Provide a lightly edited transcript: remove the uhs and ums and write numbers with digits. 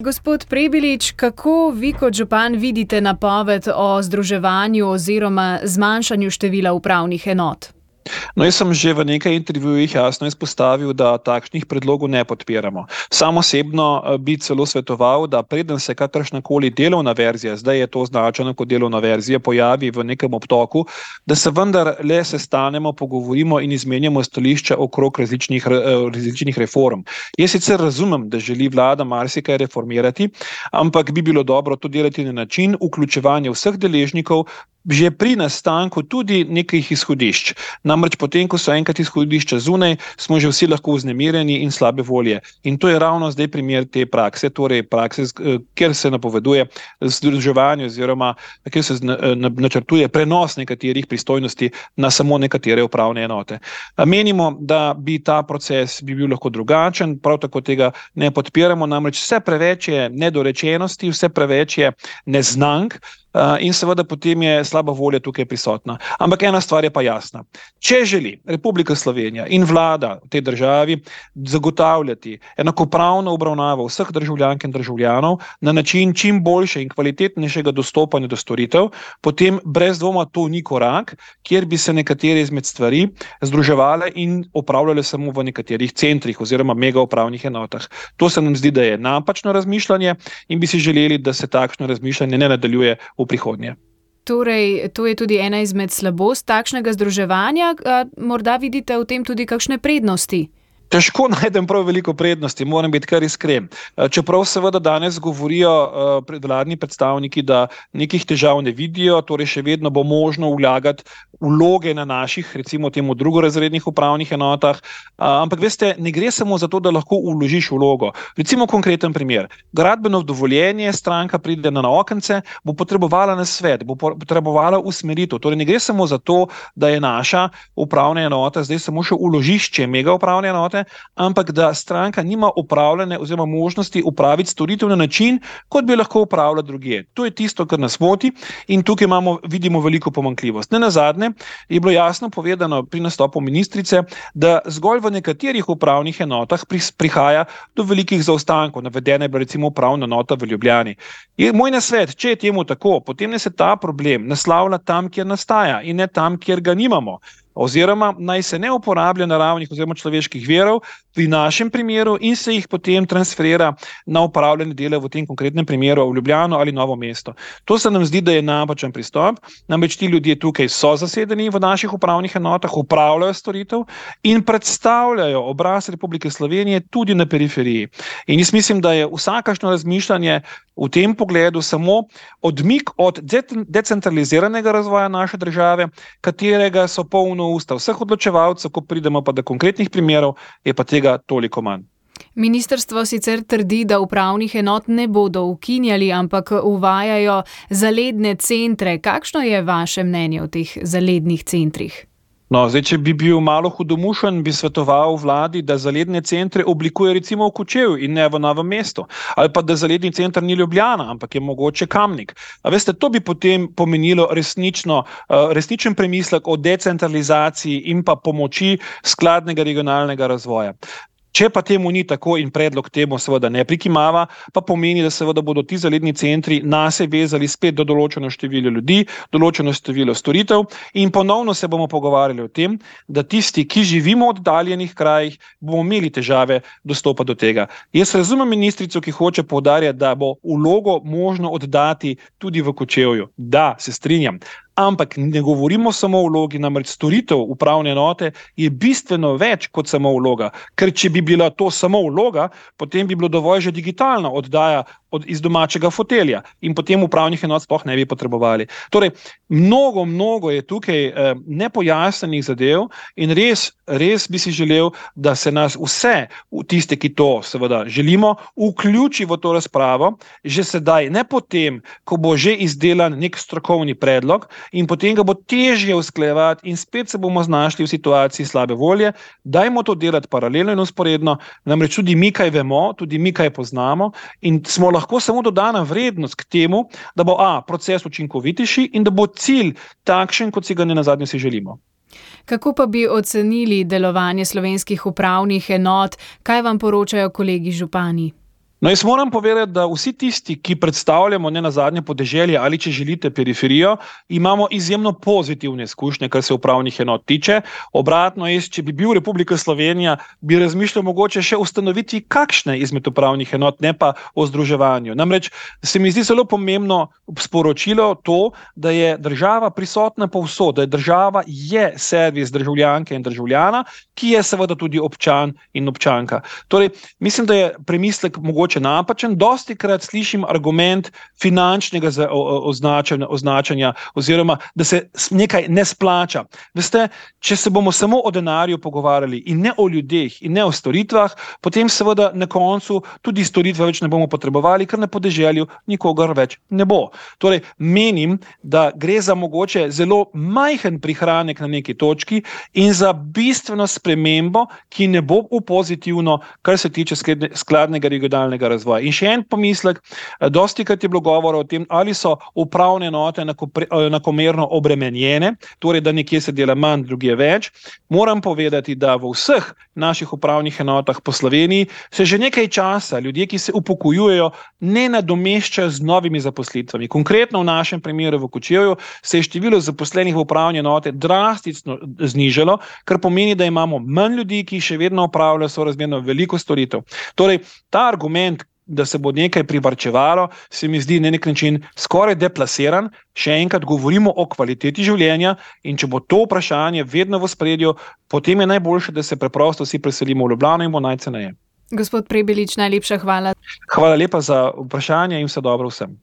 Gospod Prebilič, kako vi kot župan vidite napoved o združevanju oziroma zmanjšanju števila upravnih enot? No, jaz sem že v nekaj intervjujih jasno izpostavil, da takšnih predlogov ne podpiramo. Sam osebno bi celo svetoval, da preden se kakršnakoli delovna verzija, zdaj je to označeno kot delovna verzija, pojavi v nekem obtoku, da se vendar le sestanemo, pogovorimo in izmenjamo stališča okrog različnih reform. Jaz sicer razumem, da želi vlada marsikaj reformirati, ampak bi bilo dobro to delati na način vključevanja vseh deležnikov, že pri nastanku tudi nekih izhodišč. Namreč potem, ko so enkrat izhodišča zunaj, smo že vsi lahko vznemirjeni in slabe volje. In to je ravno zdaj primer te prakse, torej prakse, kjer se napoveduje združevanje oziroma kjer se načrtuje prenos nekaterih pristojnosti na samo nekatere upravne enote. Menimo, da bi ta proces bil lahko drugačen, prav tako tega ne podpiramo, namreč vse preveč je nedorečenosti, vse preveč je neznank, in seveda potem je slaba volja tukaj prisotna. Ampak ena stvar je pa jasna. Če želi Republika Slovenija in vlada v tej državi zagotavljati enakopravno obravnavo vseh državljank in državljanov na način čim boljše in kvalitetnejšega dostopanja do storitev, potem brez dvoma to ni korak, kjer bi se nekatere izmed stvari združevale in opravljale samo v nekaterih centrih oziroma mega upravnih enotah. To se nam zdi, da je napačno razmišljanje in bi si želeli, da se takšno razmišljanje ne nadaljuje v prihodnje. Torej, to je tudi ena izmed slabost takšnega združevanja. Morda vidite v tem tudi kakšne prednosti? Težko najdem prav veliko prednosti, moram biti kar iskren. Čeprav seveda danes govorijo vladni predstavniki, da nekih težav ne vidijo, torej še vedno bo možno vlagati vloge na naših, recimo temu drugorazrednih upravnih enotah, ampak veste, ne gre samo za to, da lahko vložiš vlogo. Recimo konkreten primer. Gradbeno dovoljenje, stranka pride na okence, bo potrebovala nasvet, bo potrebovala usmeritev. Torej ne gre samo za to, da je naša upravna enota zdaj samo še vložišče mega upravne enote, ampak da stranka nima upravljene oziroma možnosti upraviti storitev na način, kot bi lahko upravljala drugje. To je tisto, kar nas moti in tukaj vidimo veliko pomanjkljivost. Nenazadnje je bilo jasno povedano pri nastopu ministrice, da zgolj v nekaterih upravnih enotah prihaja do velikih zaostankov. Navedena je bila recimo upravna enota v Ljubljani. Moj nasvet, če je temu tako, potem se ta problem naslavlja tam, kjer nastaja in ne tam, kjer ga nimamo. Oziroma naj se ne uporablja naravnih oziroma človeških virov pri našem primeru in se jih potem transferira na upravljanje dela v tem konkretnem primeru v Ljubljano ali Novo mesto. To se nam zdi, da je napačen pristop, namreč ti ljudje tukaj so zasedeni v naših upravnih enotah, upravljajo storitev in predstavljajo obraz Republike Slovenije tudi na periferiji. In jaz mislim, da je vsakašno razmišljanje v tem pogledu samo odmik od decentraliziranega razvoja naše države, katerega so polno usta vseh odločevalcev, ko pridemo pa do konkretnih primerov, je pa tega toliko manj. Ministrstvo sicer trdi, da upravnih enot ne bodo ukinjali, ampak uvajajo zaledne centre. Kakšno je vaše mnenje o teh zalednih centrih? No, zdaj, če bi bil malo hudomušen, bi svetoval vladi, da zaledne centre oblikuje recimo v Kočevju in ne v Novem mestu. Ali pa da zaledni center ni Ljubljana, ampak je mogoče Kamnik. A veste, to bi potem pomenilo resničen premislek o decentralizaciji in pa pomoči skladnega regionalnega razvoja. Če pa temu ni tako in predlog temu seveda ne prikimava, pa pomeni, da seveda bodo ti zaledni centri nase vezali spet do določeno število ljudi, določeno število storitev in ponovno se bomo pogovarjali o tem, da tisti, ki živimo v oddaljenih krajih, bomo imeli težave dostopa do tega. Jaz razumem ministrico, ki hoče poudarjati, da bo vlogo možno oddati tudi v Kočevju. Da, se strinjam. Ampak ne govorimo samo o vlogi, namreč storitev upravne enote je bistveno več kot samo vloga. Ker če bi bila to samo vloga, potem bi bilo dovolj že digitalna oddaja iz domačega fotelja in potem upravnih enot sploh ne bi potrebovali. Torej, mnogo je tukaj nepojasnenih zadev in res bi si želel, da se nas vse, tiste, ki to seveda želimo, vključi v to razpravo, že sedaj, ne potem, ko bo že izdelan nek strokovni predlog in potem ga bo težje usklajevati in spet se bomo znašli v situaciji slabe volje. Dajmo to delati paralelno in usporedno, namreč tudi mi kaj vemo, tudi mi kaj poznamo in smo lahko samo dodana vrednost k temu, da bo proces učinkovitejši in da bo cilj takšen, kot si ga nenazadnje si želimo. Kako pa bi ocenili delovanje slovenskih upravnih enot? Kaj vam poročajo kolegi župani? No, jaz moram povedati, da vsi tisti, ki predstavljamo ne nazadnje podeželje ali, če želite, periferijo, imamo izjemno pozitivne izkušnje, kar se upravnih enot tiče. Obratno, če bi bil Republika Slovenija, bi razmišljal mogoče še ustanoviti kakšne izmed upravnih enot, ne pa o združevanju. Namreč se mi zdi zelo pomembno sporočilo to, da je država prisotna povsod, da je država servis državljanke in državljana, ki je seveda tudi občan in občanka. Torej, mislim, da je premislek mogoče napačen. Dostikrat slišim argument finančnega označanja oziroma, da se nekaj ne splača. Veste, če se bomo samo o denarju pogovarjali in ne o ljudeh in ne o storitvah, potem seveda na koncu tudi storitve več ne bomo potrebovali, ker na podeželju nikogar več ne bo. Torej, menim, da gre za mogoče zelo majhen prihranek na neki točki in za bistveno spremembo, ki ne bo v pozitivno, kar se tiče skladnega regionalnega razvoja. In še en pomislek, dostikrat je bilo govora o tem, ali so upravne enote enakomerno obremenjene, torej da nekje se dela manj, drugje več. Moram povedati, da v vseh naših upravnih enotah po Sloveniji se že nekaj časa ljudje, ki se upokojujejo, ne nadomeščajo z novimi zaposlitvami. Konkretno v našem primeru v Kočevju se je število zaposlenih v upravni enote drastično znižalo, kar pomeni, da imamo manj ljudi, ki še vedno opravljajo sorazmerno veliko storitev. Torej, ta argument, da se bo nekaj privarčevalo, se mi zdi na nek način skoraj deplasiran. Še enkrat govorimo o kvaliteti življenja in če bo to vprašanje vedno v ospredju, potem je najboljše, da se preprosto vsi preselimo v Ljubljano in bo najceneje. Gospod Prebilič, najlepša hvala. Hvala lepa za vprašanje in vse dobro vsem.